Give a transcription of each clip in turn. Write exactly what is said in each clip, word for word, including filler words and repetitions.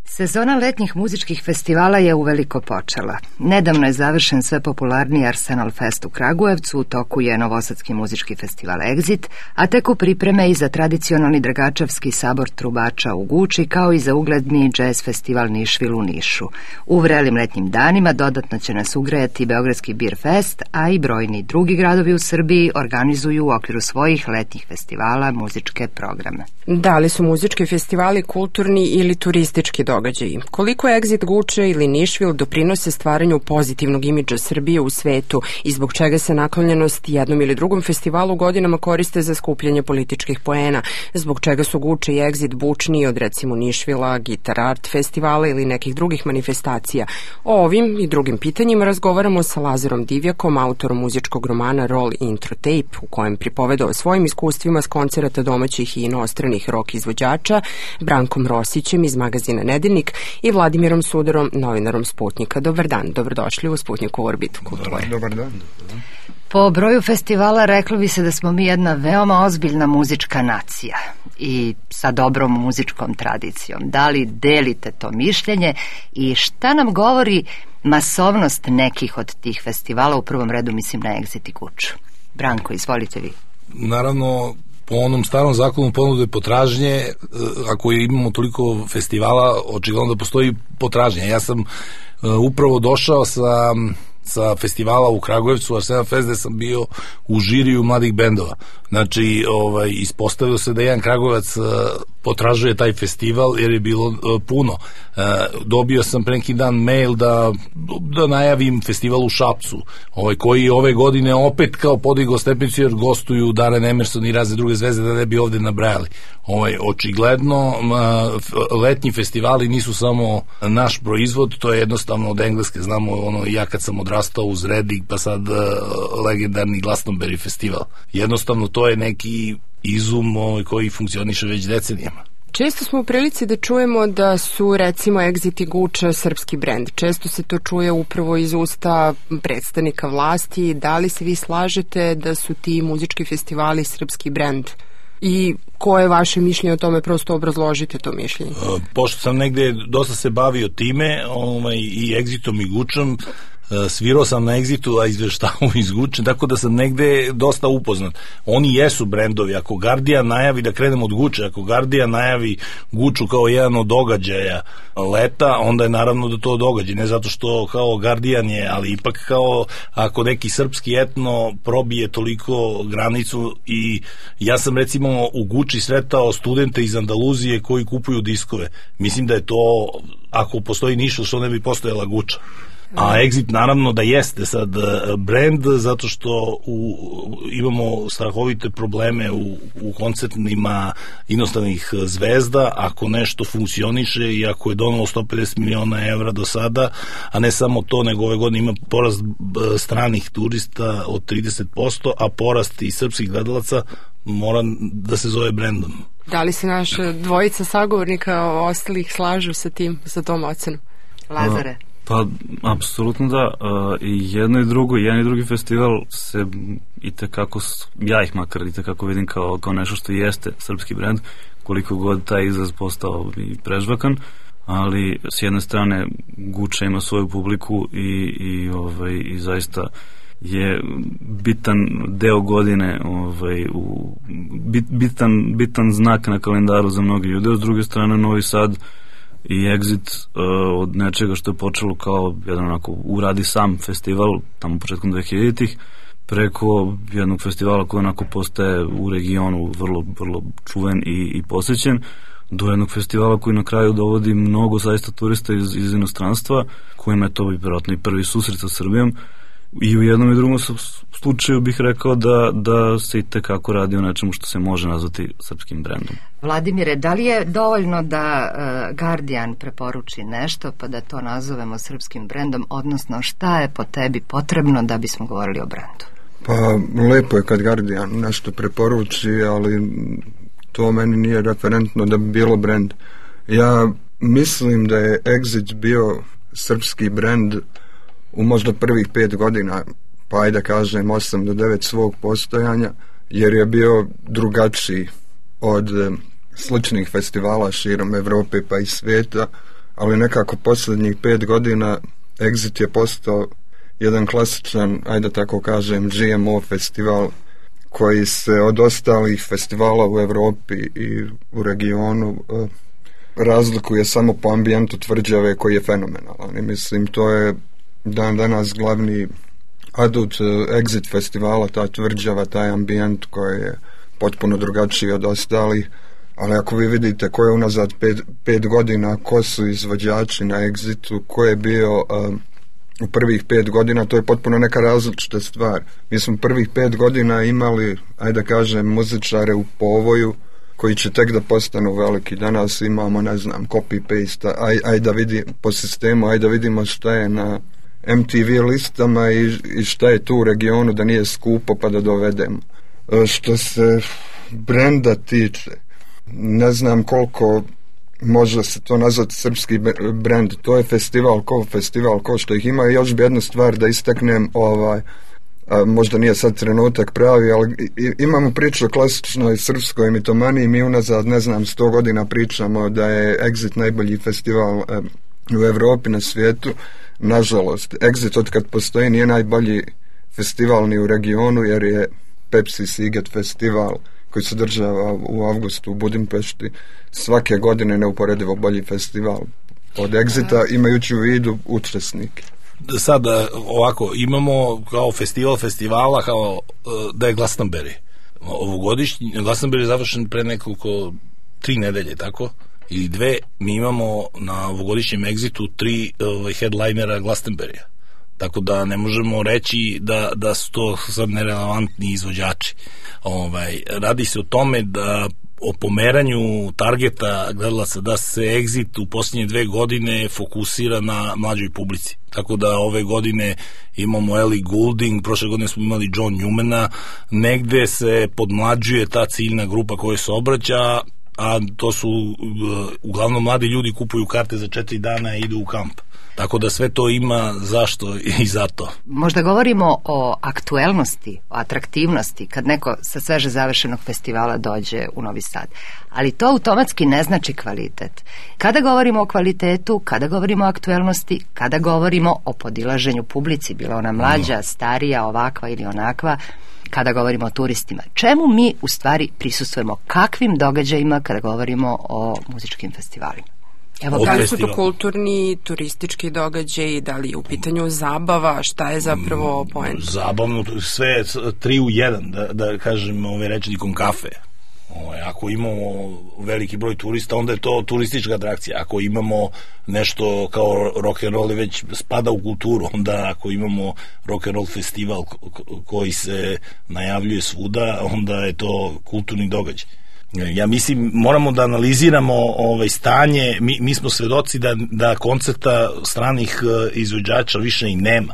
Sezona letnjih muzičkih festivala je uveliko počela. Nedavno je završen sve popularniji Arsenal Fest u Kragujevcu, u toku je novosadski muzički festival Exit, a tek u pripreme i za tradicionalni Dragačevski sabor trubača u Guči, kao i za ugledni džez festival Nišvil u Nišu. U vrelim letnjim danima dodatno će nas ugrejati Beogradski Beer Fest, a i brojni drugi gradovi u Srbiji organizuju u okviru svojih letnjih festivala muzičke programe. Da li su muzički festivali kulturni ili turistički događaji? Koliko Exit Guče ili Nišvil doprinose stvaranju pozitivnog imidža Srbije u svetu i zbog čega se naklonjenost jednom ili drugom festivalu godinama koriste za skupljanje političkih poena? Zbog čega su Guče i Exit bučniji od recimo Nišvila, Guitar Art festivala ili nekih drugih manifestacija? O ovim i drugim pitanjima razgovaramo sa Lazarom Divjakom, autorom muzičkog romana Roll Intro Tape, u kojem pripoveda o svojim iskustvima s koncerata domaćih i inostranih rock izvođača, Brankom Rosićem iz magazina Nedeljnik i Vladimirom Sudarom, novinarom Sputnjika. Dobar dan, dobrodošli u Sputnjiku Orbitu kulture. Dobar dan. Po broju festivala reklo bi se da smo mi jedna veoma ozbiljna muzička nacija i sa dobrom muzičkom tradicijom. Da li delite to mišljenje i šta nam govori masovnost nekih od tih festivala, u prvom redu mislim na Exit i Guču? Branko, izvolite vi. Naravno, po onom starom zakonu ponude i potražnje, ako imamo toliko festivala, očigledno da postoji potražnja. Ja sam uh, upravo došao sa, sa festivala u Kragujevcu, Arsenal Fest, gde sam bio u žiriju mladih bendova. Znači, ovaj, ispostavio se da jedan Kragujevac uh, potražuje taj festival jer je bilo uh, puno. Uh, dobio sam pre neki dan mail da, da najavim festival u Šapcu, ovaj, koji ove godine opet kao podigao stepenicu jer gostuju Darren Emerson i razne druge zvezde, da ne bi ovde nabrajali. Ovaj, očigledno uh, letnji festivali nisu samo naš proizvod, to je jednostavno od engleske, znamo ono, ja kad sam odrastao uz Reading, pa sad uh, legendarni Glastonbury festival. Jednostavno to je neki izum ovaj, koji funkcioniše već decenijama. Često smo u prilici da čujemo da su recimo Exit i Guča srpski brend. Često se to čuje upravo iz usta predstavnika vlasti. Da li se vi slažete da su ti muzički festivali srpski brend? I koje je vaše mišljenje o tome, prosto obrazložite to mišljenje? Pošto sam negde dosta se bavio time, ovaj, i Exitom i Gučom, svirao sam na Exitu, a izveštavao iz Guče, tako da sam negde dosta upoznat. Oni jesu brendovi. Ako Guardian najavi, da krenemo od Guče, ako Guardian najavi Guču kao jedan od događaja leta, onda je naravno da to događa. Ne zato što kao Guardian je, ali ipak kao ako neki srpski etno probije toliko granicu. I ja sam recimo u Guči sretao studente iz Andaluzije koji kupuju diskove. Mislim da je to, ako postoji ništa što ne bi postojala Guča. A Exit naravno da jeste sad brand, zato što u, imamo strahovite probleme u, u koncertnima inostranih zvezda. Ako nešto funkcioniše i ako je donalo sto pedeset miliona evra do sada, a ne samo to, nego ove godine ima porast stranih turista od trideset posto, a porast i srpskih gledalaca mora da se zove brendom. Da li se naša dvojica sagovornika ostalih slažu sa tim, sa tom ocenom? Lazare? Pa, apsolutno da. I jedno i drugo, jedan i drugi festival se i tekako, ja ih makar i tekako vidim kao, kao nešto što jeste srpski brend, koliko god taj izraz postao i prežvakan, ali s jedne strane Guča ima svoju publiku i, i, ovaj, i zaista je bitan deo godine, ovaj, u, bit, bitan, bitan znak na kalendaru za mnogi ljude. S druge strane, Novi Sad i Exit uh, od nečega što je počelo kao jedan onako uradi sam festival tamo početkom dvehiljaditih preko jednog festivala koji onako postaje u regionu vrlo, vrlo čuven i, i posjećen, do jednog festivala koji na kraju dovodi mnogo zaista turista iz, iz inostranstva, kojima je to vjerojatno i prvi susret sa Srbijom. I u jednom i drugom slučaju bih rekao da, da se i tekako radi o nečemu što se može nazvati srpskim brendom. Vladimire, da li je dovoljno da uh, Guardian preporuči nešto pa da to nazovemo srpskim brendom, odnosno šta je po tebi potrebno da bismo govorili o brendu? Pa lepo je kad Guardian nešto preporuči, ali to meni nije referentno da bi bilo brend. Ja mislim da je Exit bio srpski brend u možda prvih pet godina, pa ajde kažem osam do devet svog postojanja, jer je bio drugačiji od sličnih festivala širom Evrope pa i svijeta, ali nekako posljednjih pet godina Exit je postao jedan klasičan, ajde tako kažem, G M O festival koji se od ostalih festivala u Evropi i u regionu razlikuje samo po ambijentu tvrđave koji je fenomenalan. I mislim, to je dan danas glavni adut Exit festivala, ta tvrđava, taj ambijent koji je potpuno drugačiji od ostalih, ali ako vi vidite ko je unazad pet, pet godina, ko su izvođači na Exitu, ko je bio um, u prvih pet godina, to je potpuno neka različita stvar. Mi smo prvih pet godina imali, ajde da kažem, muzičare u povoju koji će tek da postanu veliki. Danas imamo, ne znam, copy-paste, aj, aj da vidi po sistemu, aj da vidimo šta je na M T V listama i, i šta je tu u regionu da nije skupo pa da dovedemo. E, što se brenda tiče, ne znam koliko može se to nazvati srpski brend, to je festival ko festival ko što ih ima. I još bi jednu stvar da istaknem, ovaj, a možda nije sad trenutak pravi, ali imamo priču o klasičnoj srpskoj mitomaniji. Mi unazad, ne znam, sto godina pričamo da je Exit najbolji festival u Evropi, na svijetu. Nažalost, Exit od kad postoji nije najbolji festival ni u regionu, jer je Pepsi Siget festival koji se održava u avgustu u Budimpešti svake godine neuporedivo bolji festival od Exita, imajući u vidu učesnike. Sad ovako, imamo kao festival festivala kao da je Glastonbury. Ovogodišnji Glastonbury je završen pre nekoliko tri nedelje, tako? Ili dve. Mi imamo na ovogodišnjem Exitu tri ovaj, headlinera Glastonburya. Tako da ne možemo reći da, da su to sad nerelevantni izvođači. Ovaj, radi se o tome da o pomeranju targeta gledalaca, da se Exit u posljednje dve godine fokusira na mlađoj publici. Tako da ove godine imamo Ellie Goulding, prošle godine smo imali John Newmana, negde se podmlađuje ta ciljna grupa koja se obraća, a to su uglavnom mladi ljudi, kupuju karte za četiri dana i idu u kamp. Tako da sve to ima zašto i zato. Možda govorimo o aktuelnosti, o atraktivnosti kad neko sa sveže završenog festivala dođe u Novi Sad. Ali to automatski ne znači kvalitet. Kada govorimo o kvalitetu, kada govorimo o aktuelnosti, kada govorimo o podilaženju publici, bila ona mlađa, starija, ovakva ili onakva, kada govorimo o turistima. Čemu mi u stvari prisustvujemo? Kakvim događajima kada govorimo o muzičkim festivalima? Evo, da li su to kulturni, turistički događaj, da li je u pitanju zabava, šta je zapravo poenta? Zabavno, sve tri u jedan, da, da kažem ove rečnikom kafe. Ove, ako imamo veliki broj turista, onda je to turistička atrakcija. Ako imamo nešto kao rock and roll već spada u kulturu, onda ako imamo rock and roll festival koji se najavljuje svuda, onda je to kulturni događaj. Ja mislim, moramo da analiziramo ovaj stanje, mi, mi smo svedoci da, da koncerta stranih izvođača više i nema.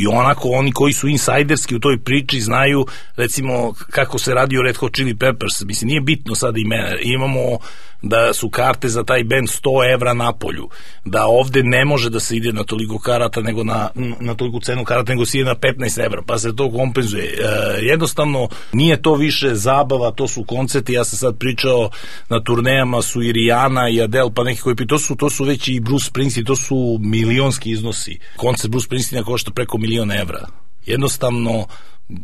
I onako oni koji su insajderski u toj priči znaju recimo kako se radi o Red Hot Chili Peppers. Mislim, nije bitno sada imena. Imamo da su karte za taj band sto evra na polju, da ovde ne može da se ide na toliko karata nego na, na toliko cenu karata nego se ide na petnaest evra, pa se to kompenzuje. E, jednostavno nije to više zabava, to su koncerti. Ja sam sad pričao, na turnejama su i Rihanna i Adele, pa neki koji to su, to su već i Bruce Springsteen, to su milionski iznosi. Koncert Bruce Springsteena košta preko milion evra. Jednostavno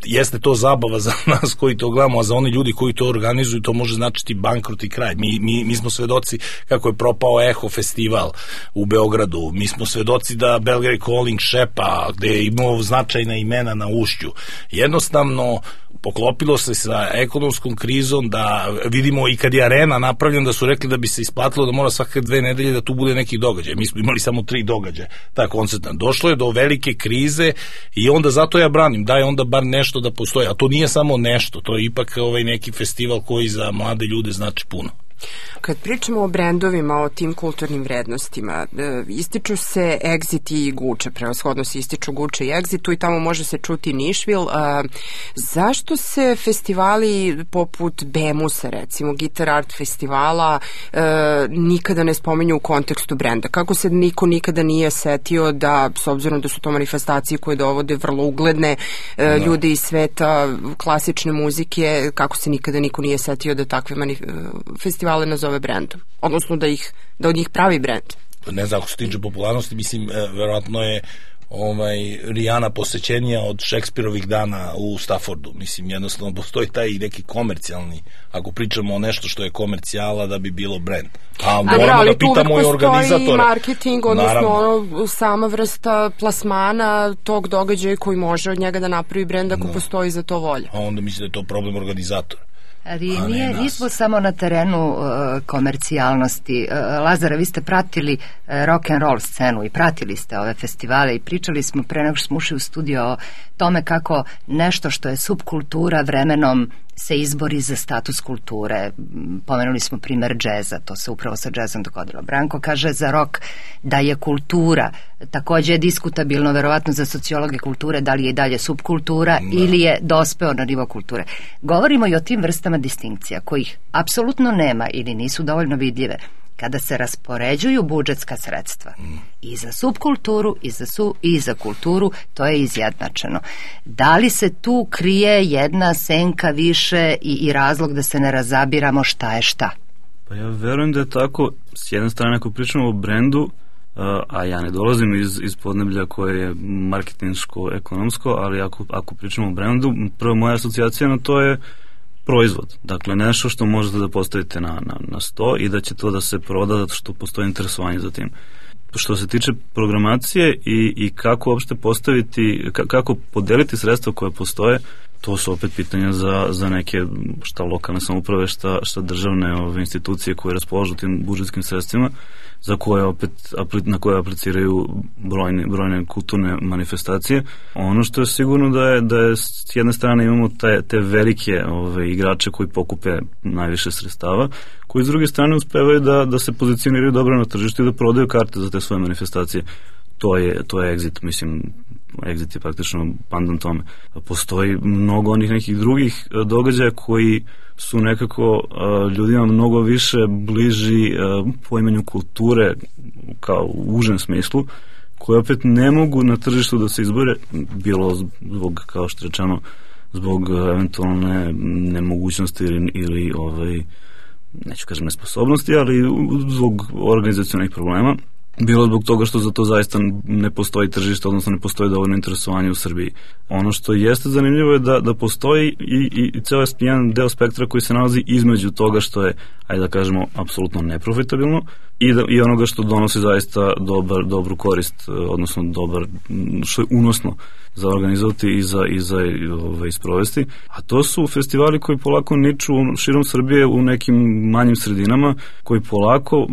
jeste to zabava za nas koji to gledamo, a za oni ljudi koji to organizuju to može značiti bankrot i kraj. Mi, mi, mi smo svedoci kako je propao Eho festival u Beogradu, mi smo svedoci da Belgrade Calling šepa, gde je imao značajna imena na ušću. Jednostavno poklopilo se sa ekonomskom krizom, da vidimo i kad je arena napravljena da su rekli da bi se isplatilo da mora svake dve nedelje da tu bude neki događaj. Mi smo imali samo tri događaja, ta koncertna. Došlo je do velike krize i onda zato ja branim, da je onda bar nešto da postoji, a to nije samo nešto, to je ipak ovaj neki festival koji za mlade ljude znači puno. Kad pričamo o brendovima, o tim kulturnim vrednostima, ističu se Exit i Guče, prevashodno se ističu Guče i Exit, tu i tamo može se čuti Nišvil. Zašto se festivali poput Bemusa, recimo Guitar Art festivala, nikada ne spominju u kontekstu brenda? Kako se niko nikada nije setio da, s obzirom da su to manifestacije koje dovode vrlo ugledne no. ljude iz sveta klasične muzike, kako se nikada niko nije setio da takve manif- festivale nazove brendom, odnosno da ih da od njih pravi brend? ne znam, ako se tiče popularnosti, mislim, verovatno je ovaj, Rihanna posećenija od Šekspirovih dana u Staffordu. Mislim, jednostavno postoji taj neki komercijalni, ako pričamo o nešto što je komercijala, da bi bilo brand. A moramo da pitamo i organizatore. Ali marketing, odnosno ono, sama vrsta plasmana tog događaja koji može od njega da napravi brend ako no. postoji za to volja. A onda mislim da je to problem organizatora. Ali nije, nismo samo na terenu uh, komercijalnosti. Uh, Lazare, vi ste pratili uh, rock and roll scenu i pratili ste ove festivale i pričali smo pre nego što smo ušli u studio o tome kako nešto što je subkultura vremenom se izbori za status kulture. Pomenuli smo primer džeza, to se upravo sa džezom dogodilo. Branko kaže za rock da je kultura, takođe je diskutabilno verovatno za sociologe kulture da li je i dalje subkultura da. ili je dospeo na nivo kulture. Govorimo i o tim vrstama distinkcija kojih apsolutno nema ili nisu dovoljno vidljive kada se raspoređuju budžetska sredstva mm. i za subkulturu i za, su, i za kulturu, to je izjednačeno. Da li se tu krije jedna senka više i, i razlog da se ne razabiramo šta je šta? Pa ja verujem da je tako. S jedne strane, ako pričamo o brendu, a ja ne dolazim iz, iz podneblja koje je marketinško-ekonomsko, ali ako, ako pričamo o brendu, prva moja asocijacija na to je proizvod. Dakle, nešto što možete da postavite na, na, na sto i da će to da se proda zato što postoji interesovanje za tim. Što se tiče programacije i, i kako uopšte postaviti, kako podeliti sredstva koje postoje, to su opet pitanja za, za neke šta lokalne samouprave, šta, šta državne ove, institucije koje raspolažu tim budžetskim sredstvima, za koje opet, na koje apliciraju brojne, brojne kulturne manifestacije. Ono što je sigurno da je, da je s jedne strane imamo te, te velike ove, igrače koji pokupe najviše sredstava, koji s druge strane uspevaju da, da se pozicioniraju dobro na tržištu i da prodaju karte za te svoje manifestacije. To je, to je Exit, mislim, Exit je praktično pandan tome. Postoji mnogo onih nekih drugih događaja koji su nekako uh, ljudima mnogo više bliži uh, poimanju kulture kao u užem smislu, koje opet ne mogu na tržištu da se izbore, bilo zbog, kao što rečeno, zbog uh, eventualne nemogućnosti ili, ili ovaj, neću kažem nesposobnosti, ali zbog organizacionih problema, bilo zbog toga što za to zaista ne postoji tržište, odnosno ne postoji dovoljno interesovanje u Srbiji. Ono što jeste zanimljivo je da, da postoji i, i, i ceo jedan deo spektra koji se nalazi između toga što je, ajde da kažemo, apsolutno neprofitabilno i, da, i onoga što donosi zaista dobar, dobru korist, odnosno dobar, što je unosno za organizovati i za, i za ove, isprovesti. A to su festivali koji polako niču širom Srbije u nekim manjim sredinama, koji polako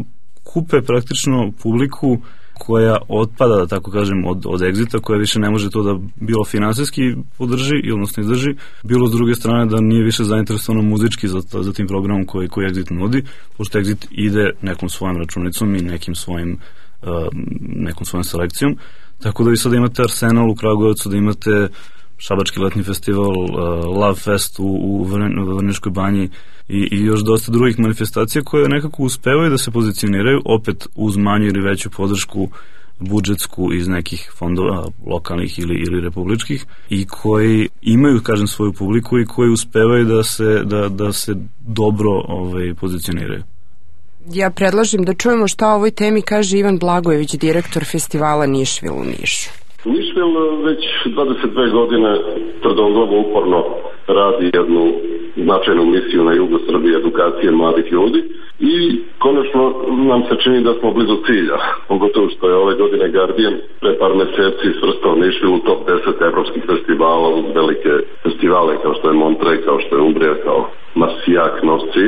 kupe praktično publiku koja otpada, da tako kažem, od, od Exita, koja više ne može to da bilo finansijski podrži, odnosno izdrži, bilo s druge strane da nije više zainteresovano muzički za, za tim programom koji, koji Exit nudi, pošto Exit ide nekom svojom računicom i nekim svojim, uh, nekom svojom selekcijom. Tako da vi sada imate Arsenal u Kragujevcu, da imate Šabački letnji festival, uh, Love Fest u, u Vrnjačkoj banji i, i još dosta drugih manifestacija koje nekako uspevaju da se pozicioniraju opet uz manju ili veću podršku budžetsku iz nekih fondova lokalnih ili, ili republičkih i koji imaju, kažem, svoju publiku i koji uspevaju da se, da, da se dobro ovaj, pozicioniraju. Ja predlažem da čujemo šta o ovoj temi kaže Ivan Blagojević, direktor festivala Nišvil u Nišu. Nišvil već dvadeset dve godine tvrdoglavo uporno radi jednu značajnu misiju na jugu Srbije, edukacije mladih ljudi i konačno nam se čini da smo blizu cilja, pogotovo što je ove godine Guardian pre par meseci svrstao Nišvil u top deset evropskih festivala uz velike festivale kao što je Montreux, kao što je Umbrija, kao Marsijak, Nosci.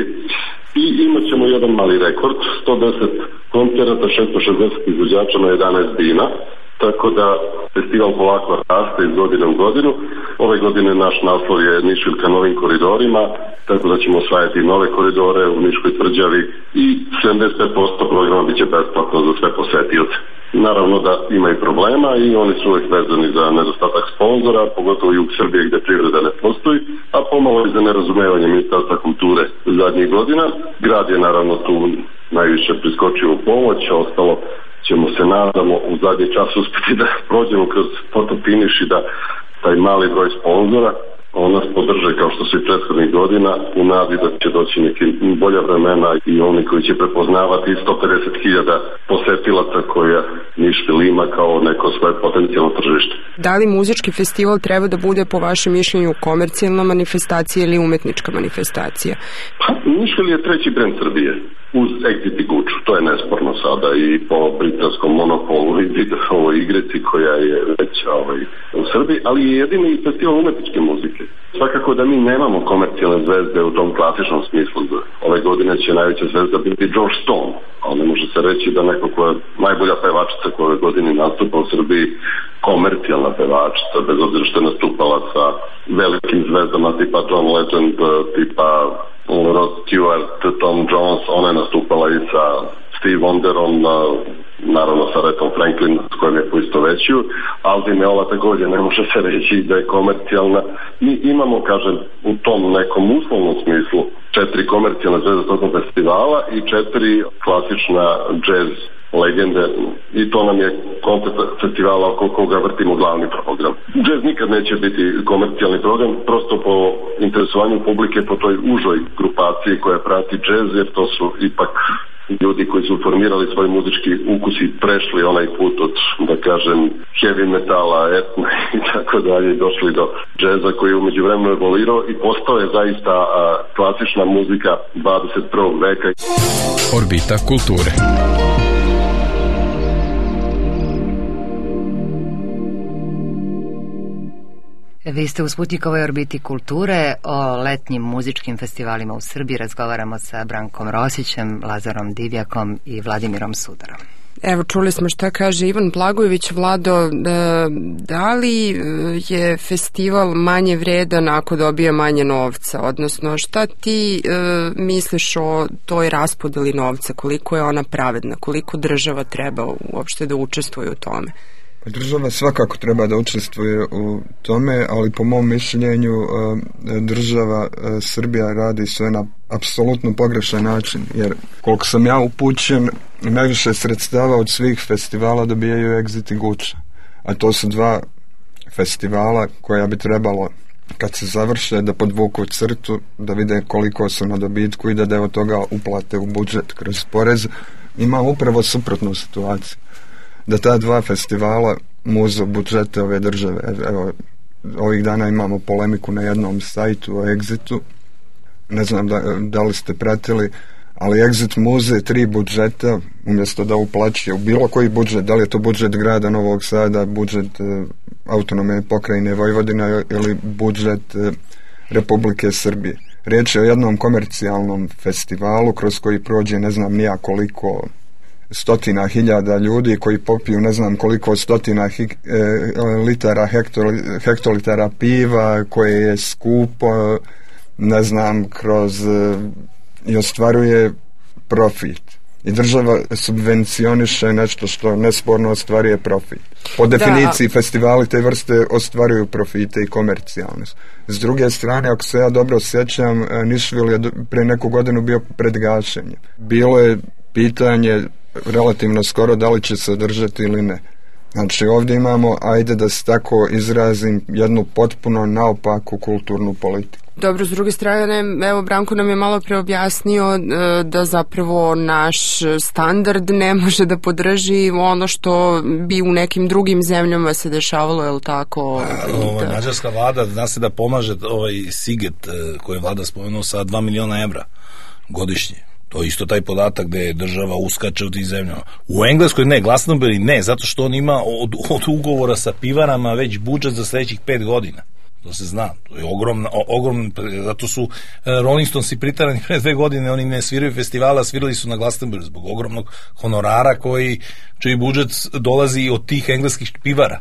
I imat ćemo jedan mali rekord, sto deset koncerata, šesto šezdeset izvođača na jedanaest dina. Tako da festival polako raste iz godine u godinu. Ove godine naš naslov je Nišvil ka novim koridorima, tako da ćemo osvajati nove koridore u Niškoj tvrđavi i sedamdeset pet posto programa biće besplatno za sve posetioce. Naravno da ima i problema i oni su uvijek vezani za nedostatak sponzora, pogotovo jug Srbije gde privreda ne postoji, a pomalo i za nerazumevanje Ministarstva kulture zadnjih godina. Grad je naravno tu najviše priskočio u pomoć, ostalo ćemo se nadamo u zadnji čas uspjeti da prođemo kroz fotofiniš i da taj mali broj sponzora on nas podrže kao što su i prethodnih godina u nadi da će doći neki bolja vremena i oni koji će prepoznavati sto pedeset hiljada posetilaca koja Nišvil ima kao neko svoje potencijalno tržište. Da li muzički festival treba da bude po vašem mišljenju komercijalna manifestacija ili umetnička manifestacija? Pa, Nišvil je treći brend Srbije uz Exit i Guču, to je nesporno sada i po britanskom monopolu i ovoj igrici koja je već ovaj, u Srbiji, ali je jedini festival umetničke muzike. Svakako da mi nemamo komercijalne zvezde u tom klasičnom smislu. Ove godine će najveća zvezda biti George Stone, ali ne može se reći da neko koja je najbolja pevačica koja ove godine nastupa u Srbiji, komercijalna pevačica, bez obzira što je nastupala sa velikim zvezdama tipa John Legend, tipa Rod Stewart, Tom Jones, ona je nastupala i sa Steve Wonderom, naravno sa Retom Franklin s kojim je poistovećuju, ali ova također ne može se reći da je komercijalna. Mi imamo, kažem, u tom nekom uslovnom smislu četiri komercijalne zvezde tokom festivala i četiri klasična jazz legende i to nam je koncept festivala oko koga vrtimo glavni program. Jazz nikad neće biti komercijalni program, prosto po interesovanju publike, po toj užoj grupaciji koja prati jazz, jer to su ipak ljudi koji su formirali svoj muzički ukus i prešli onaj put od, da kažem, heavy metala, etna i tako dalje, došli do džeza koji je umeđu vremenu evoluirao i postao je zaista a, klasična muzika dvadeset prvog veka. Orbita kulture. Vi ste u Sputnikovoj orbiti kulture. O letnjim muzičkim festivalima u Srbiji razgovaramo sa Brankom Rosićem, Lazarom Divjakom i Vladimirom Sudarom. Evo, čuli smo šta kaže Ivan Blagojević. Vlado, da li je festival manje vredan ako dobija manje novca? Odnosno, šta ti e, misliš o toj raspodeli novca? Koliko je ona pravedna? Koliko država treba uopšte da učestvuje u tome? Država svakako treba da učestvuje u tome, ali po mom mišljenju država Srbija radi sve na apsolutno pogrešan način, jer koliko sam ja upućen, najviše sredstava od svih festivala dobijaju Exit i Guča, a to su dva festivala koja bi trebalo kad se završe da podvuku crtu, da vide koliko su na dobitku i da deo toga uplate u budžet kroz porez. Ima upravo suprotnu situaciju, da ta dva festivala muzu budžete ove države. Evo, ovih dana imamo polemiku na jednom sajtu o Exitu, ne znam da, da li ste pratili, ali Exit muze tri budžeta umjesto da uplaćuje u bilo koji budžet, da li je to budžet grada Novog Sada, budžet e, autonomne pokrajine Vojvodina ili budžet e, Republike Srbije. Riječ je o jednom komercijalnom festivalu kroz koji prođe ne znam nija koliko stotina hiljada ljudi koji popiju ne znam koliko stotina hi, e, litara hektoli, hektolitara piva koje je skupo, ne znam, kroz e, i ostvaruje profit. I država subvencioniše nešto što nesporno ostvaruje profit. Po definiciji da. Festivali te vrste ostvaruju profite i komercijalnost. S druge strane, ako se ja dobro sjećam, Nišvil je pre neku godinu bio pred gašenjem. Bilo je pitanje relativno skoro da li će se održati ili ne. Znači ovdje imamo, ajde da se tako izrazim, jednu potpuno naopaku kulturnu politiku. Dobro, s druge strane, evo Branko nam je malo preobjasnio da zapravo naš standard ne može da podrži ono što bi u nekim drugim zemljama se dešavalo, je li tako? A, ovo, da. Mađarska vlada zna se da pomaže ovaj Siget koji je vlada spomenuo sa dva miliona evra godišnje. To je isto taj podatak gde država uskače u tih zemljama. U Engleskoj ne, Glastonbury ne, zato što on ima od, od ugovora sa pivarama već budžet za sledećih pet godina. To se zna, to je ogromna, ogromna, zato su uh, Rolling Stonesi pritarani pre dve godine, oni ne sviraju festivala, svirali su na Glastonbury zbog ogromnog honorara koji, čiji budžet dolazi od tih engleskih pivara.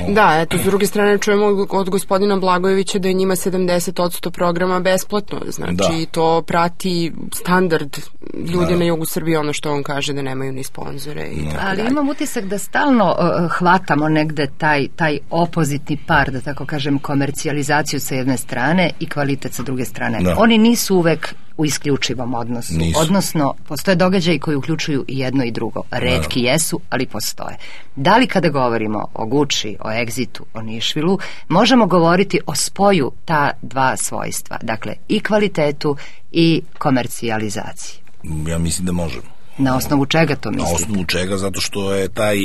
Da, eto, s druge strane čujemo od gospodina Blagojevića da je njima sedamdeset posto programa besplatno, znači da. To prati standard ljudi da. Na jugu Srbije, ono što on kaže da nemaju ni sponzore i da. Tako ali dalje. Imam utisak da stalno uh, hvatamo negde taj, taj opozitni par, da tako kažem, komercijalizaciju sa jedne strane i kvalitet sa druge strane. Da. Oni nisu uvek u isključivom odnosu. Nisu. Odnosno, postoje događaji koji uključuju i jedno i drugo. Retki Naravno. jesu, ali postoje. Da li kada govorimo o Guči, o Exitu, o Nišvilu, možemo govoriti o spoju ta dva svojstva? Dakle, i kvalitetu i komercijalizaciji. Ja mislim da možemo. Na osnovu čega to mislite? Na osnovu čega, zato što je taj,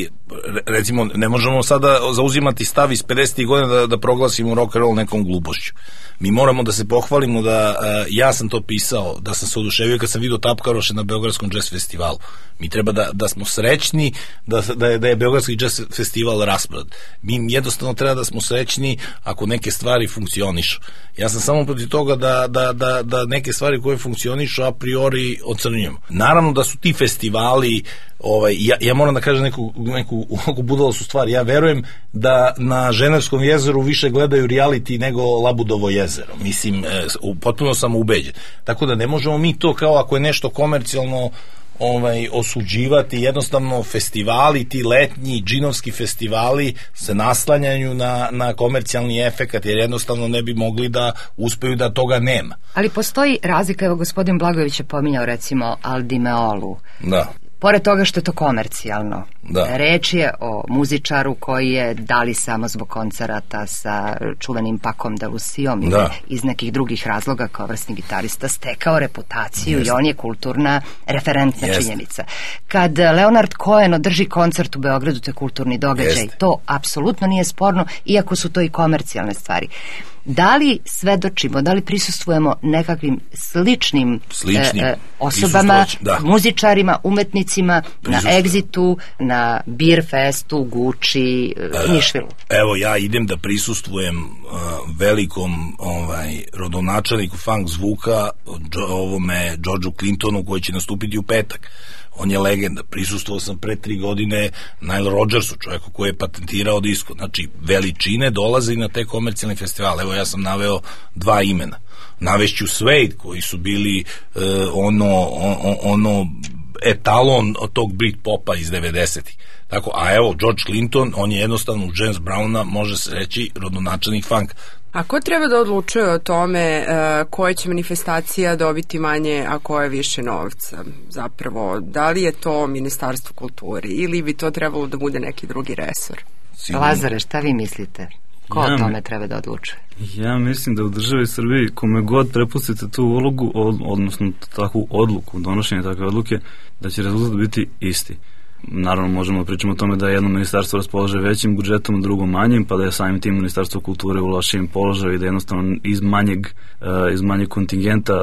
recimo, ne možemo sada zauzimati stav iz pedesetih godina da, da proglasimo rock and roll nekom glupošću. Mi moramo da se pohvalimo da, ja sam to pisao, da sam se oduševio kad sam vidio Tapkaroše na Beogradskom jazz festivalu. Mi treba da, da smo srećni da, da, je, da je Beogradski jazz festival raspad. Mi jednostavno treba da smo srećni ako neke stvari funkcionišu. Ja sam samo protiv toga da, da, da, da neke stvari koje funkcionišu a priori ocrnjujemo. Naravno da su ti festivali, ovaj, ja, ja moram da kažem neku, neku, neku budalastu stvar, ja verujem da na Ženevskom jezeru više gledaju reality nego Labudovo jezero. Mislim, e, potpuno sam ubeđen. Tako da ne možemo mi to kao ako je nešto komercijalno ovaj, osuđivati, jednostavno festivali, ti letnji džinovski festivali se naslanjaju na, na komercijalni efekat, jer jednostavno ne bi mogli da uspeju da toga nema. Ali postoji razlika, evo gospodin Blagojević je pominjao recimo Aldi Meolu. Da. Pored toga što je to komercijalno, da. Reč je o muzičaru koji je, da li samo zbog koncerata sa čuvenim Pakom de Lucijom ili iz nekih drugih razloga kao vrsni gitarista, stekao reputaciju. Jest. I on je kulturna referentna Jest. činjenica. Kad Leonard Cohen održi koncert u Beogradu, to je kulturni događaj. Jest. To apsolutno nije sporno, iako su to i komercijalne stvari. Da li svedočimo, da li prisustvujemo nekakvim sličnim, sličnim e, osobama, da. muzičarima, umetnicima na Exitu, na Beer Festu, Guči, e, Nišvilu? Evo, ja idem da prisustvujem uh, velikom ovaj, rodonačelniku funk zvuka, džo, ovome Georgeu Clintonu, koji će nastupiti u petak. On je legenda. Prisustvovao sam pre tri godine Nile Rodgersu, čovjeku koji je patentirao disko. Znači, veličine dolaze i na te komercijalne festivale. Evo, ja sam naveo dva imena. Navešću Suede, koji su bili uh, ono, on, ono etalon od tog Britpopa iz devedesetih. Tako, a evo, George Clinton, on je jednostavno u James Browna, može se reći, rodonačelnik funk. A ko treba da odlučuje o tome uh, koje će manifestacija dobiti manje, a koje više novca? Zapravo, da li je to Ministarstvo kulture ili bi to trebalo da bude neki drugi resor? Sigurno. Lazare, šta vi mislite? Ko ja, o tome treba da odlučuje? Ja mislim da u državi Srbiji kome god prepustite tu ulogu, od, odnosno takvu odluku, donošenje takve odluke, da će rezultat biti isti. Naravno, možemo da pričamo o tome da jedno ministarstvo raspolaže većim budžetom, drugo manjim, pa da je samim tim Ministarstvo kulture u lošijem položaju i da jednostavno iz manjeg, iz manjeg kontingenta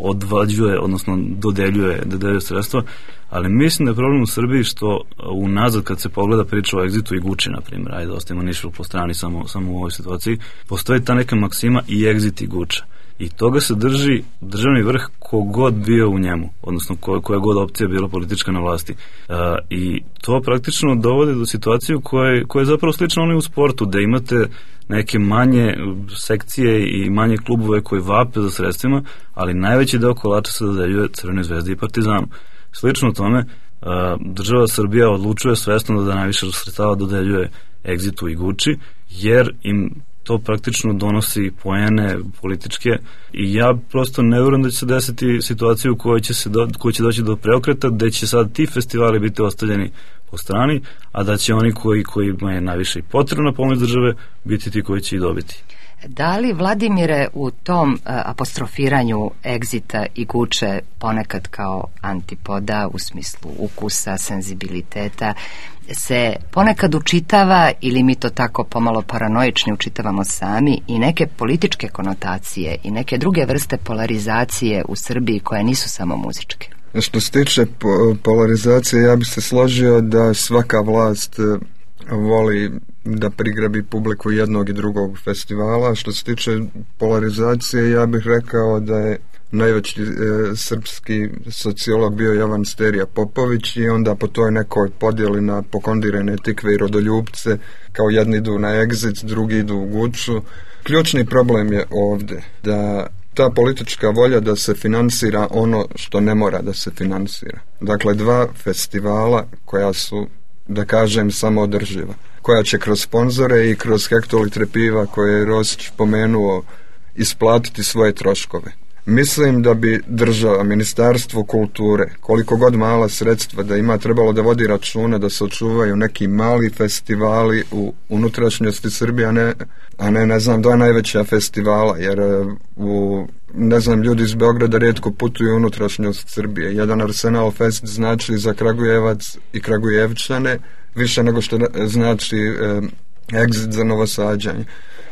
odvađuje, odnosno dodeljuje, dodeljuje sredstva, ali mislim da je problem u Srbiji što unazad kad se pogleda priča o Exitu i Guči, na primjer, ajde ostavimo Nišvil po strani samo, samo u ovoj situaciji, postoji ta neka maksima i Exit i Guča. I toga se drži državni vrh kogod bio u njemu, odnosno ko, koja god opcija bila politička na vlasti. E, I to praktično dovode do situacije koja, koja je zapravo slična onoj u sportu, da imate neke manje sekcije i manje klubove koji vape za sredstvima, ali najveći deo kolača se dodeljuje Crvenoj zvezdi i Partizanu. Slično tome, e, država Srbija odlučuje svesno da najviše sredstava dodeljuje Exitu i Guči, jer im to praktično donosi poene političke i ja prosto ne vjerujem da će se desiti situaciju u kojoj će, se do, kojoj će doći do preokreta, da će sad ti festivali biti ostavljeni po strani, a da će oni koji, kojima je najviše i potrebna pomoć države biti ti koji će i dobiti. Da li, Vladimire, u tom uh, apostrofiranju Exita i Guče ponekad kao antipoda u smislu ukusa, senzibiliteta, se ponekad učitava, ili mi to tako pomalo paranoični učitavamo sami, i neke političke konotacije i neke druge vrste polarizacije u Srbiji koje nisu samo muzičke? Što se tiče po- polarizacije, ja bih se složio da svaka vlast voli da prigrabi publiku jednog i drugog festivala. Što se tiče polarizacije, ja bih rekao da je najveći e, srpski sociolog bio Jovan Sterija Popović i onda po toj nekoj podjeli na pokondirane tikve i rodoljubce, kao jedni idu na Exit, drugi idu u Guču. Ključni problem je ovdje da ta politička volja da se finansira ono što ne mora da se finansira. Dakle, dva festivala koja su, da kažem, samoodrživa, koja će kroz sponzore i kroz hektolitre piva koje je Rosić pomenuo isplatiti svoje troškove. Mislim da bi država, Ministarstvo kulture, koliko god mala sredstva da ima, trebalo da vodi računa da se očuvaju neki mali festivali u unutrašnjosti Srbije, a ne, a ne, ne znam, dva najveća festivala, jer u, ne znam, ljudi iz Beograda rijetko putuju u unutrašnjost Srbije. Jedan Arsenal Fest znači za Kragujevac i Kragujevčane više nego što znači eh, Exit za Novosađanje.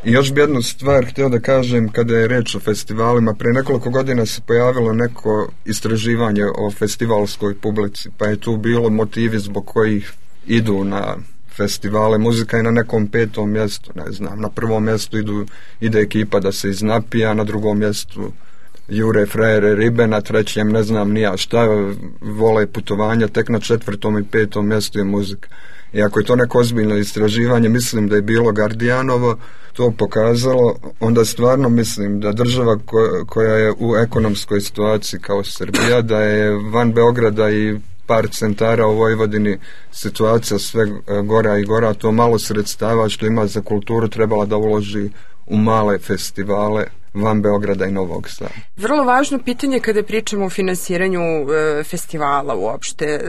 I još bi jednu stvar htio da kažem kada je reč o festivalima. Pre nekoliko godina se pojavilo neko istraživanje o festivalskoj publici, pa je tu bilo motivi zbog kojih idu na festivale. Muzika je na nekom petom mjestu, ne znam, na prvom mjestu idu, ide ekipa da se iznapija, na drugom mjestu Jure, frajere, ribe, na trećem ne znam nija šta, vole putovanja, tek na četvrtom i petom mjestu je muzika. I ako je to neko ozbiljno istraživanje, mislim da je bilo Gardijanovo, to pokazalo, onda stvarno mislim da država koja, koja je u ekonomskoj situaciji kao Srbija, da je van Beograda i par centara u Vojvodini situacija sve gora i gora, to malo sredstava što ima za kulturu trebala da uloži u male festivale van Beograda i Novog Sada. Vrlo važno pitanje kada pričamo o finansiranju e, festivala uopšte. E,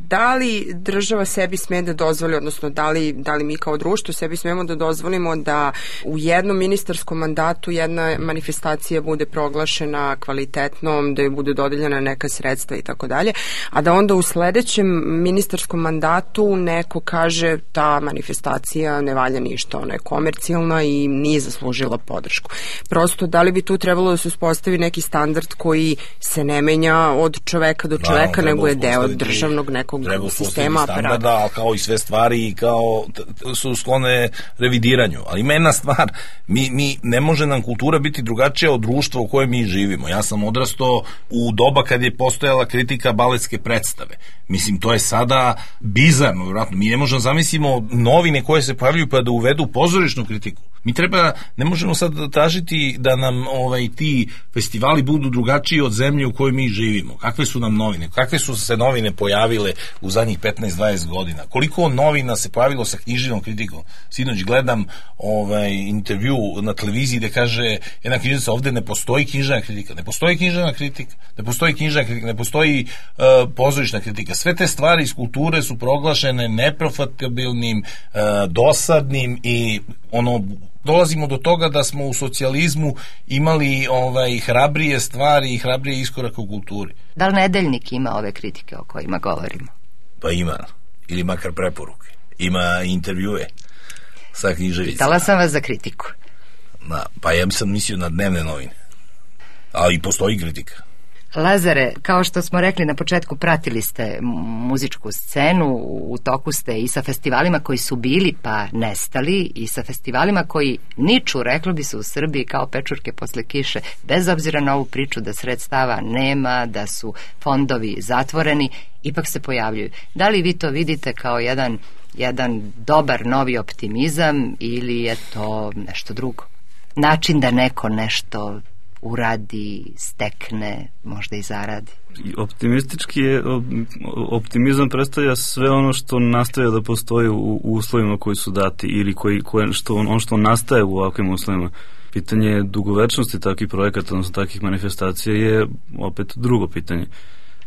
da li država sebi sme da dozvoli, odnosno da li, da li mi kao društvo sebi smemo da dozvolimo da u jednom ministarskom mandatu jedna manifestacija bude proglašena kvalitetnom, da joj bude dodeljena neka sredstva i tako dalje, a da onda u sledećem ministarskom mandatu neko kaže ta manifestacija ne valja ništa, ona je komercijalna i nije zaslužila podršku. Prosto da li bi tu trebalo da se uspostavi neki standard koji se ne menja od čoveka do čoveka, nego je deo državnog nekog sistema aparata. Da, kao i sve stvari i kao su sklone revidiranju. Ali ima jedna stvar, mi, mi ne može nam kultura biti drugačija od društva u kojem mi živimo. Ja sam odrastao u doba kad je postojala kritika baletske predstave. Mislim, to je sada bizarno, vjerojatno. Mi ne možemo zamislimo novine koje se pojavljuju pa da uvedu pozorišnu kritiku. Mi treba, ne možemo sad tražiti da nam ovaj, ti festivali budu drugačiji od zemlje u kojoj mi živimo. Kakve su nam novine? Kakve su se novine pojavile u zadnjih petnaest dvadeset godina? Koliko novina se pojavilo sa književnom kritikom? Sinoć gledam ovaj, intervju na televiziji gde kaže jedna književnica, ovde ne postoji književna kritika. Ne postoji književna kritika. Ne postoji književna kritika. Ne postoji uh, pozorišna kritika. Sve te stvari iz kulture su proglašene neprofitabilnim, uh, dosadnim i ono dolazimo do toga da smo u socijalizmu imali ovaj hrabrije stvari i hrabrije iskorake u kulturi. Da li Nedeljnik ima ove kritike o kojima govorimo? Pa ima, ili makar preporuke. Ima intervjue sa književicama. Pitala sam vas za kritiku. Na, pa ja sam mislio na dnevne novine. Ali postoji kritika. Lazare, kao što smo rekli na početku, pratili ste muzičku scenu, u toku ste i sa festivalima koji su bili pa nestali i sa festivalima koji niču, reklo bi se u Srbiji, kao pečurke posle kiše, bez obzira na ovu priču da sredstava nema, da su fondovi zatvoreni, ipak se pojavljuju. Da li vi to vidite kao jedan, jedan dobar novi optimizam ili je to nešto drugo? Način da neko nešto uradi, stekne, možda i zaradi. Optimistički je, optimizam predstavlja sve ono što nastaje da postoji u, u uslovima koji su dati ili koji, koje, što, ono što nastaje u ovakvim uslovima. Pitanje dugovečnosti takvih projekata, odnosno takvih manifestacija je opet drugo pitanje.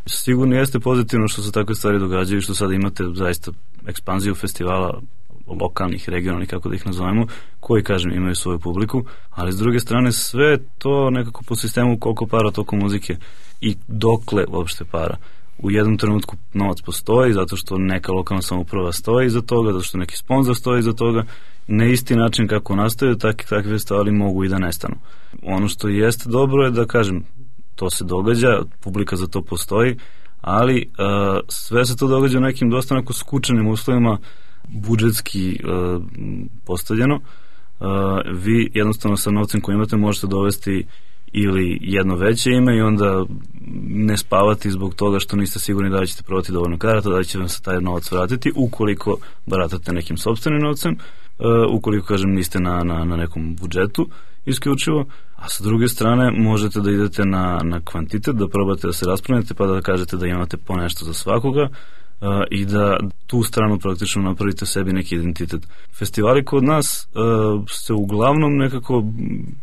Sigurno jeste pozitivno što se takve stvari događaju i što sada imate zaista ekspanziju festivala lokalnih, regionalnih, kako da ih nazovemo, koji, kažem, imaju svoju publiku, ali s druge strane sve to nekako po sistemu koliko para, toliko muzike i dokle uopšte para. U jednom trenutku novac postoji zato što neka lokalna samouprava stoji iza toga, zato što neki sponzor stoji iza toga. Na isti način kako nastaju, takvi, takvi festivali mogu i da nestanu. Ono što jeste dobro je da, kažem, to se događa, publika za to postoji, ali uh, sve se to događa u nekim dosta onako skučenim uslovima, budžetski uh, postavljeno. Uh, vi jednostavno sa novcem koji imate možete dovesti ili jedno veće ime i onda ne spavati zbog toga što niste sigurni da li ćete prodati dovoljno karata, da li će vam se taj novac vratiti ukoliko baratate nekim sopstvenim novcem, uh, ukoliko, kažem, niste na, na, na nekom budžetu isključivo, a sa druge strane možete da idete na, na kvantitet, da probate da se raspravljate pa da kažete da imate po nešto za svakoga, Uh, i da tu stranu praktično napravite sebi neki identitet. Festivali kod nas uh, se uglavnom nekako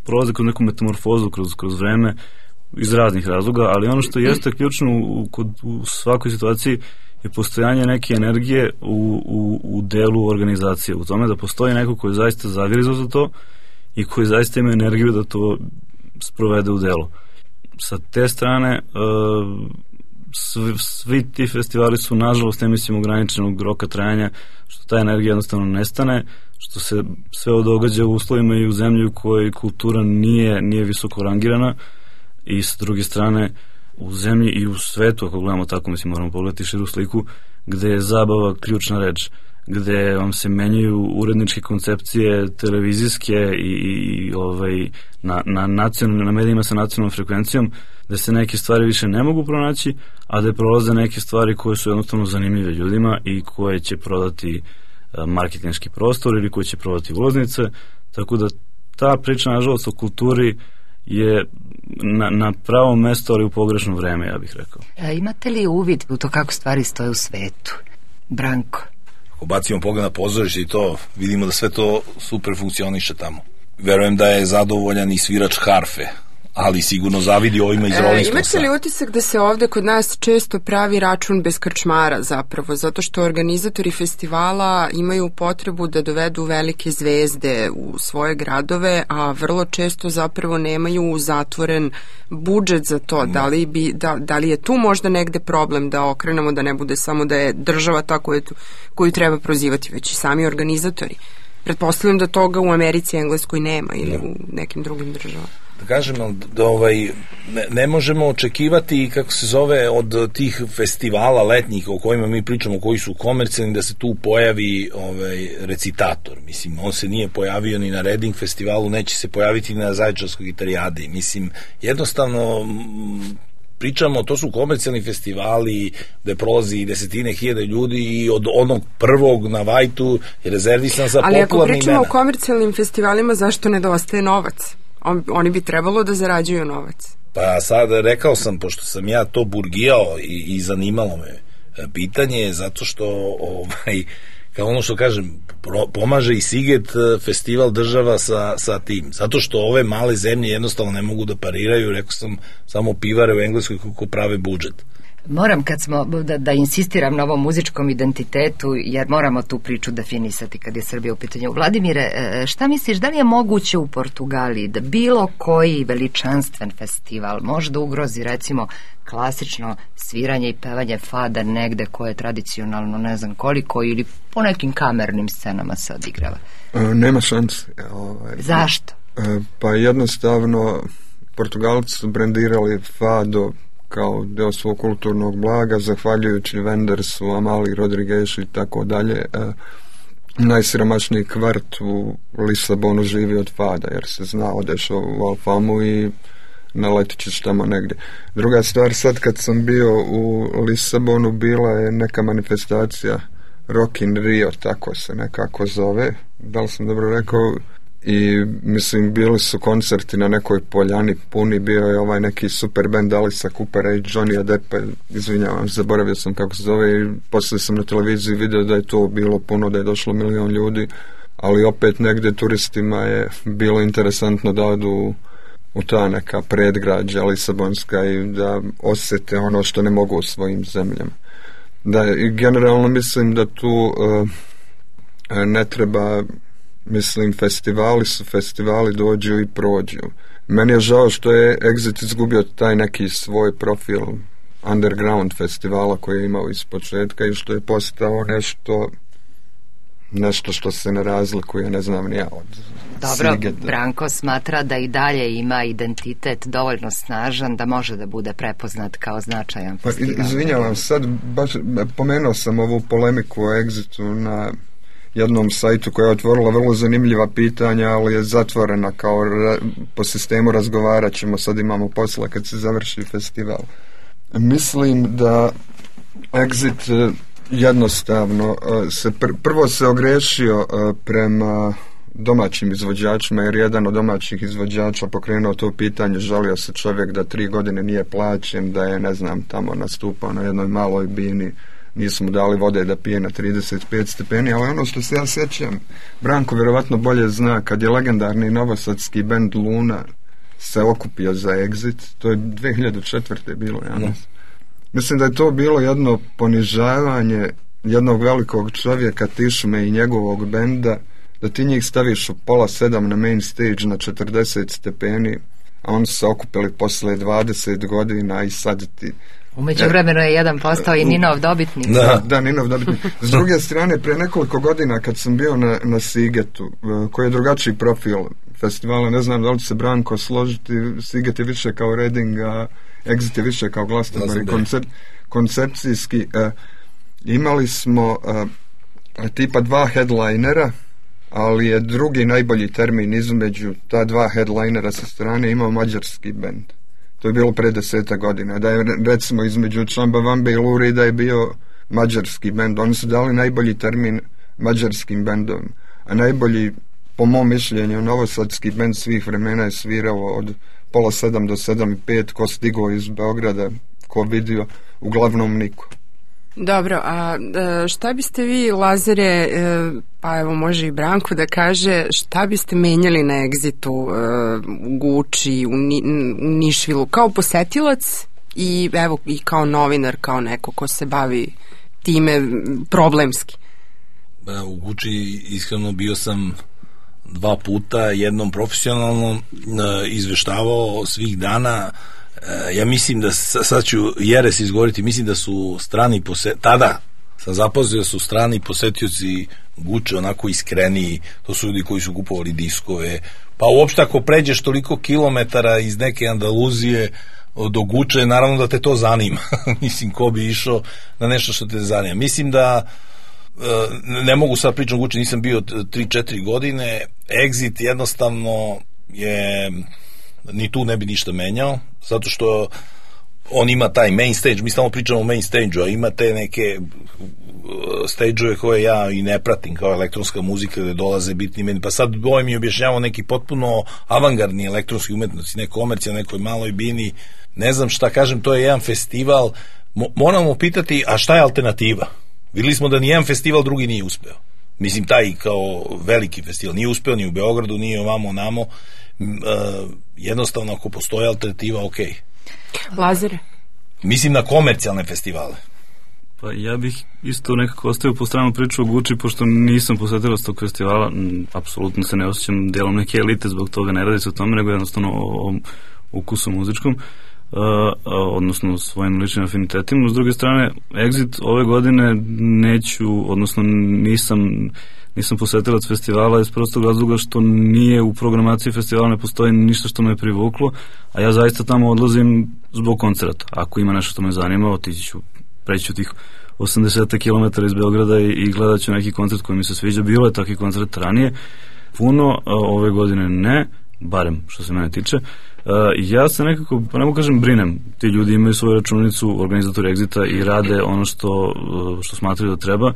prolaze kroz neku metamorfozu kroz, kroz vreme, iz raznih razloga, ali ono što jeste ključno u, kod, u svakoj situaciji je postojanje neke energije u, u, u delu organizacije, u tome da postoji neko koji je zaista zagrizao za to i koji zaista ima energiju da to sprovede u delo. Sa te strane uh, svi, svi ti festivali su nažalost, ne mislim, ograničenog roka trajanja, što ta energija jednostavno nestane, što se sve ovo događa u uslovima i u zemlji u kojoj kultura nije, nije visoko rangirana, i s druge strane u zemlji i u svetu, ako gledamo tako, mislim, moramo pogledati širu sliku, gde je zabava ključna reč, gde vam se menjaju uredničke koncepcije televizijske i, i ovaj, na, na, nacional, na medijima sa nacionalnom frekvencijom, da se neke stvari više ne mogu pronaći, a da prolaze neke stvari koje su jednostavno zanimljive ljudima i koje će prodati marketinški prostor ili koje će prodati ulaznice, tako da ta priča, nažalost, o kulturi je na, na pravom mestu, ali u pogrešno vreme, ja bih rekao. A imate li uvid u to kako stvari stoje u svetu? Branko? Ako bacimo pogled na pozorište i to, vidimo da sve to super funkcioniše tamo. Verujem da je zadovoljan i svirač harfe, ali sigurno zavidi ovima iz Rolling Stonesa. Imate li utisak da se ovde kod nas često pravi račun bez krčmara zapravo, zato što organizatori festivala imaju potrebu da dovedu velike zvezde u svoje gradove, a vrlo često zapravo nemaju zatvoren budžet za to. Da li, bi, da, da li je tu možda negde problem da okrenemo, da ne bude samo da je država ta koju, koju treba prozivati, već i sami organizatori? Pretpostavljam da toga u Americi i Engleskoj nema ili u nekim drugim državama. Da kažem, da ovaj, ne, ne možemo očekivati, kako se zove, od tih festivala letnjih o kojima mi pričamo, koji su komercijalni, da se tu pojavi ovaj, recitator. Mislim, on se nije pojavio ni na Reading festivalu, neće se pojaviti ni na Zaječarskoj gitarijadi. Mislim, jednostavno pričamo, to su komercijalni festivali gde prolazi desetine hiljade ljudi i od onog prvog na Vajtu je rezervisan za popularne imena. Ali ako pričamo imena o komercijalnim festivalima, zašto nedostaje novac? On, oni bi trebalo da zarađuju novac. Pa sad rekao sam, pošto sam ja to burgijao i, i zanimalo me pitanje, zato što ovaj, kao ono što kažem, pro, pomaže i Siget festival država sa, sa tim, zato što ove male zemlje jednostavno ne mogu da pariraju, rekao sam, samo pivare u Engleskoj kako prave budžet. Moram kad smo, da, da insistiram na ovom muzičkom identitetu, jer moramo tu priču definisati kad je Srbija u pitanju. Vladimire, šta misliš, da li je moguće u Portugaliji da bilo koji veličanstven festival može da ugrozi, recimo, klasično sviranje i pevanje fada negde koje je tradicionalno ne znam koliko ili po nekim kamernim scenama se odigrava? E, nema šanse. Ovaj, Zašto? E, pa jednostavno Portugalci su brendirali fado kao deo svog kulturnog blaga, zahvaljujući Wendersu, Amali, Rodriguezu i tako dalje. E, najsiromašniji kvart u Lisabonu živi od fada, jer se zna, odeš u Alfamu i naletit ćeš tamo negdje. Druga stvar, sad kad sam bio u Lisabonu, bila je neka manifestacija Rock in Rio, tako se nekako zove, da li sam dobro rekao, i mislim bili su koncerti na nekoj poljani puni, bio je ovaj neki super band Alisa Coopera i Johnny Deppa, izvinjavam, zaboravio sam kako se zove, i poslije sam na televiziji vidio da je to bilo puno, da je došlo milion ljudi, ali opet negdje turistima je bilo interesantno da odu u ta neka predgrađa lisabonska i da osjete ono što ne mogu u svojim zemljama. Da, i generalno mislim da tu uh, ne treba, mislim, festivali su festivali, dođu i prođu. Meni je žao što je Exit izgubio taj neki svoj profil underground festivala koji je imao iz početka i što je postao nešto nešto što se ne razlikuje, ne znam ni ja od Dobro, Sigeta. Branko smatra da i dalje ima identitet dovoljno snažan da može da bude prepoznat kao značajan pa, festival. Izvinjavam, sad baš pomenuo sam ovu polemiku o Exitu na jednom sajtu koja je otvorila vrlo zanimljiva pitanja, ali je zatvorena kao ra, po sistemu razgovarat ćemo, sad imamo posla kad se završi festival. Mislim da Exit jednostavno se pr- prvo se ogrešio prema domaćim izvođačima, jer jedan od domaćih izvođača pokrenuo to pitanje, žalio se čovjek da tri godine nije plaćen, da je, ne znam, tamo nastupao na jednoj maloj bini, nisu mu dali vode da pije na trideset pet stepeni, ali ono što se ja sjećam, Branko vjerovatno bolje zna, kad je legendarni novosadski bend Luna se okupio za Exit, to je dve hiljade četvrte bilo, ja mislim. Mislim da je to bilo jedno ponižavanje jednog velikog čovjeka, Tišme i njegovog benda, da ti njih staviš u pola sedam na main stage na četrdeset stepeni, a oni su se okupili posle dvadeset godina i sad ti... Umeđu vremenu je jedan postao i Ninov dobitnik. Da, da, Ninov dobitnik. S druge strane, pre nekoliko godina kad sam bio na, na Sigetu, koji je drugačiji profil festivala, ne znam da li će se Branko složiti, Siget je više kao Reading, a Exit je više kao Glastonbury, koncep, koncepcijski. Uh, imali smo uh, tipa dva headlinera, ali je drugi najbolji termin između ta dva headlinera sa strane imao mađarski bend. To je bilo pre deseta godina. Da je recimo između Čambavambe i Lurida je bio mađarski bend. Oni su dali najbolji termin mađarskim bendom. A najbolji, po mom mišljenju, novosadski bend svih vremena je svirao od pola sedam do sedam i pet, ko stigao iz Beograda, ko vidio, uglavnom niko. Dobro, a šta biste vi, Lazare, pa evo može i Branko da kaže, šta biste menjali na Exitu u Guči, u, Ni, u Nišvilu, kao posetilac i evo i kao novinar, kao neko ko se bavi time problemski? U Guči iskreno bio sam dva puta, jednom profesionalno izveštavao svih dana. Ja mislim da, sad ću jeres izgovoriti, mislim da su strani posetioci, tada sam zapoznao da su strani posetioci Guče onako iskreniji, to su ljudi koji su kupovali diskove, pa uopšte ako pređeš toliko kilometara iz neke Andaluzije do Guče, naravno da te to zanima. Mislim, ko bi išao na nešto što te zanima. Mislim da ne mogu sad pričati o Guči, nisam bio tri četiri godine. Exit jednostavno je, ni tu ne bi ništa menjao, zato što on ima taj main stage, mi samo pričamo o main stage-u, a ima te neke stage-ove koje ja i ne pratim, kao elektronska muzika gde dolaze bitni meni, pa sad ovaj mi objašnjavao neki potpuno avangardni elektronski umetnosti, ne komercija, nekoj maloj bini, ne znam šta kažem, to je jedan festival, Mo- moramo pitati, a šta je alternativa? Videli smo da nijedan festival drugi nije uspeo. Mislim, taj kao veliki festival nije uspeo ni u Beogradu, nije ovamo, namo. Uh, jednostavno, ako postoje alternativa, ok. Lazare? Mislim na komercijalne festivale. Pa ja bih isto nekako ostavio po stranu priču o Guči, pošto nisam posetilac tog festivala, m, apsolutno se ne osjećam delom neke elite, zbog toga ne radi se o tome, nego jednostavno o, o ukusu muzičkom. Uh, odnosno svojim ličnim afinitetima. S druge strane, Exit ove godine neću, odnosno nisam nisam posetilac festivala iz prostog razloga što nije u programaciji festivala, ne postoji ništa što me privuklo, a ja zaista tamo odlazim zbog koncerta. Ako ima nešto što me zanima, otići ću, preći ću tih osamdeset kilometara iz Beograda i, i gledat ću neki koncert koji mi se sviđa. Bilo je takvi koncert ranije, puno, ove godine ne, barem što se mene tiče. Uh, ja se nekako, pa ne mogu kažem, brinem. Ti ljudi imaju svoju računicu, organizatori Exita, i rade ono što, što smatraju da treba,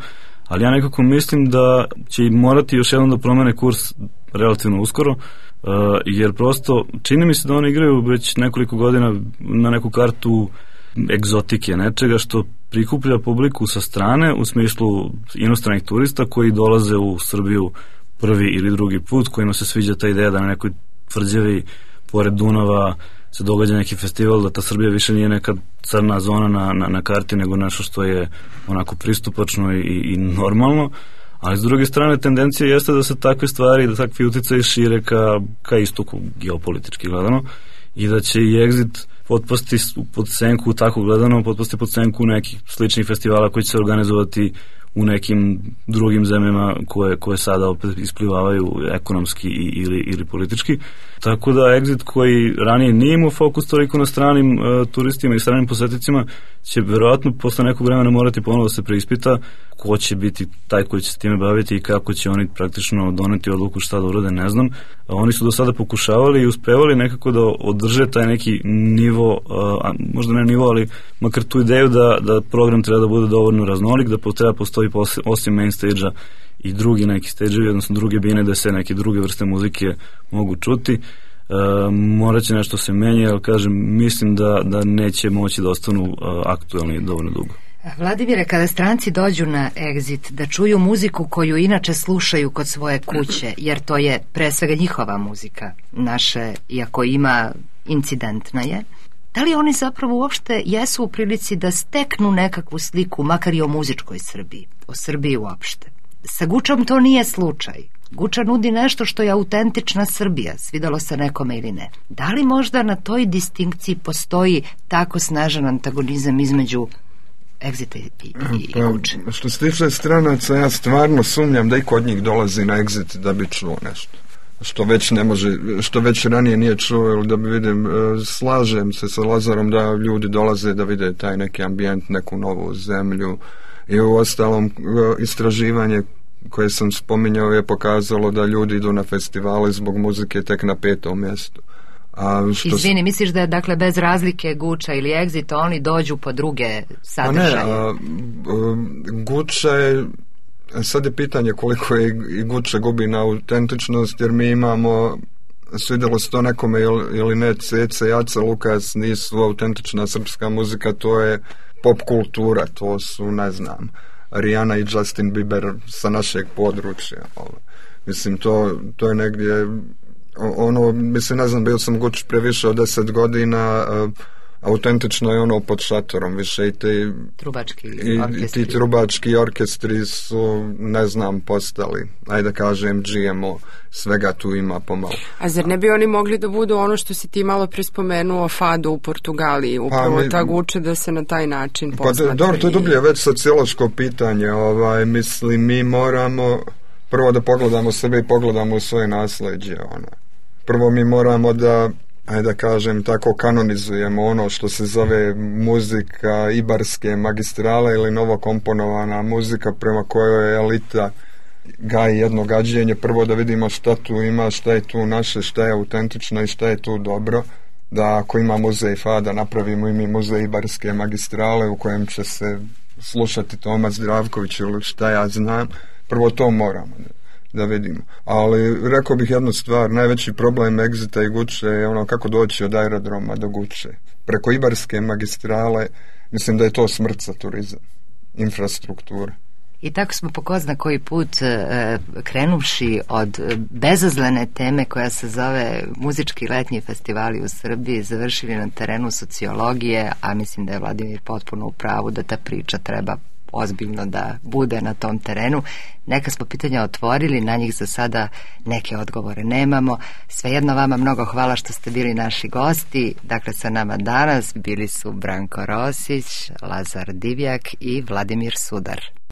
ali ja nekako mislim da će morati još jednom da promene kurs relativno uskoro, uh, jer prosto čini mi se da oni igraju već nekoliko godina na neku kartu egzotike, nečega što prikuplja publiku sa strane, u smislu inostranih turista koji dolaze u Srbiju prvi ili drugi put, kojima se sviđa ta ideja da na nekoj tvrđavi pored Dunava se događa neki festival, da ta Srbija više nije neka crna zona na, na, na karti, nego nešto što je onako pristupačno i, i normalno, ali s druge strane tendencija jeste da se takve stvari, da takvi uticaji šire ka, ka istoku geopolitički gledano, i da će i Exit potpasti pod senku, tako gledano, potpasti pod senku nekih sličnih festivala koji će se organizovati u nekim drugim zemljama koje, koje sada opet isplivavaju ekonomski i, ili, ili politički. Tako da Exit, koji ranije nije imao fokus toliko na stranim uh, turistima i stranim posetnicima, će verovatno posle nekog vremena morati ponovo da se preispita ko će biti taj koji će se time baviti i kako će oni praktično doneti odluku šta da urade, ne znam. A oni su do sada pokušavali i uspevali nekako da održe taj neki nivo, uh, možda ne nivo, ali makar tu ideju da, da program treba da bude dovoljno raznolik, da treba postoji posle, osim main stage-a i drugi neki stage-evi, odnosno druge bine da se neke druge vrste muzike mogu čuti. E, morat će nešto se menja, ali kažem, mislim da, da neće moći da ostanu uh, aktuelni dovoljno dugo. Vladimire, kada stranci dođu na Exit da čuju muziku koju inače slušaju kod svoje kuće, jer to je pre svega njihova muzika, naše, iako ima incidentna je, da li oni zapravo uopšte jesu u prilici da steknu nekakvu sliku, makar i o muzičkoj Srbiji, o Srbiji uopšte? Sa Gučom to nije slučaj. Guča nudi nešto što je autentična Srbija, svidalo se nekome ili ne. Da li možda na toj distinkciji postoji tako snažan antagonizam između Exita i, i, i pa, Guče? Što se tiče stranaca, ja stvarno sumnjam da i kod njih dolazi na Exit da bi čuo nešto. Što već ne može, što već ranije nije čuo, ili da bi vidim, slažem se sa Lazarom da ljudi dolaze da vide taj neki ambijent, neku novu zemlju. I u ostalom istraživanje koje sam spominjao je pokazalo da ljudi idu na festivale zbog muzike tek na petom mjestu. A što Izvini, misliš da je dakle bez razlike Guča ili Exit oni dođu po druge sadržaje? A ne, a, a, Guča je, sad je pitanje koliko je i Guča gubi na autentičnost, jer mi imamo, svidjelo se to nekome ili ne, Cece, Jaca, Lukas nisu autentična srpska muzika, to je pop kultura, to su, ne znam, Rihanna i Justin Bieber sa našeg područja. Mislim, to, to je negdje ono, mislim, ne znam, bio sam Guč pre više od deset godina, uh, autentično je ono pod šatorom, više i ti trubački i, orkestri. I ti trubački orkestri su, ne znam, postali, ajde kažem, G M O, svega tu ima pomalo. A zar ne bi oni mogli da budu ono što si ti malo prespomenuo, Fado u Portugaliji, upravo pa mi, ta Guče da se na taj način posmatra? Pa dobro, to je dublje već sociološko pitanje, ovaj, mislim, mi moramo prvo da pogledamo sebe i pogledamo svoje nasleđe, ono. Prvo mi moramo da, ajde da kažem tako, kanonizujemo ono što se zove muzika ibarske magistrale ili novokomponovana muzika prema kojoj je elita gaji jedno gađenje. Prvo da vidimo šta tu ima, šta je tu naše, šta je autentično i šta je tu dobro. Da ako ima muzej Fada, napravimo i mi muzej ibarske magistrale u kojem će se slušati Toma Zdravković ili šta ja znam. Prvo to moramo da vidimo. Ali rekao bih jednu stvar, najveći problem Exita i Guče je ono kako doći od aerodroma do Guče. Preko ibarske magistrale, mislim da je to smrt za turizam, infrastruktura. I tako smo po ko zna koji put e, krenuvši od bezazlene teme koja se zove muzički letnji festivali u Srbiji, završili na terenu sociologije, a mislim da je Vladimir potpuno u pravu da ta priča treba ozbiljno da bude na tom terenu. Neka smo pitanja otvorili, na njih za sada neke odgovore nemamo. Svejedno vama mnogo hvala što ste bili naši gosti. Dakle, sa nama danas bili su Branko Rosić, Lazar Divjak i Vladimir Sudar.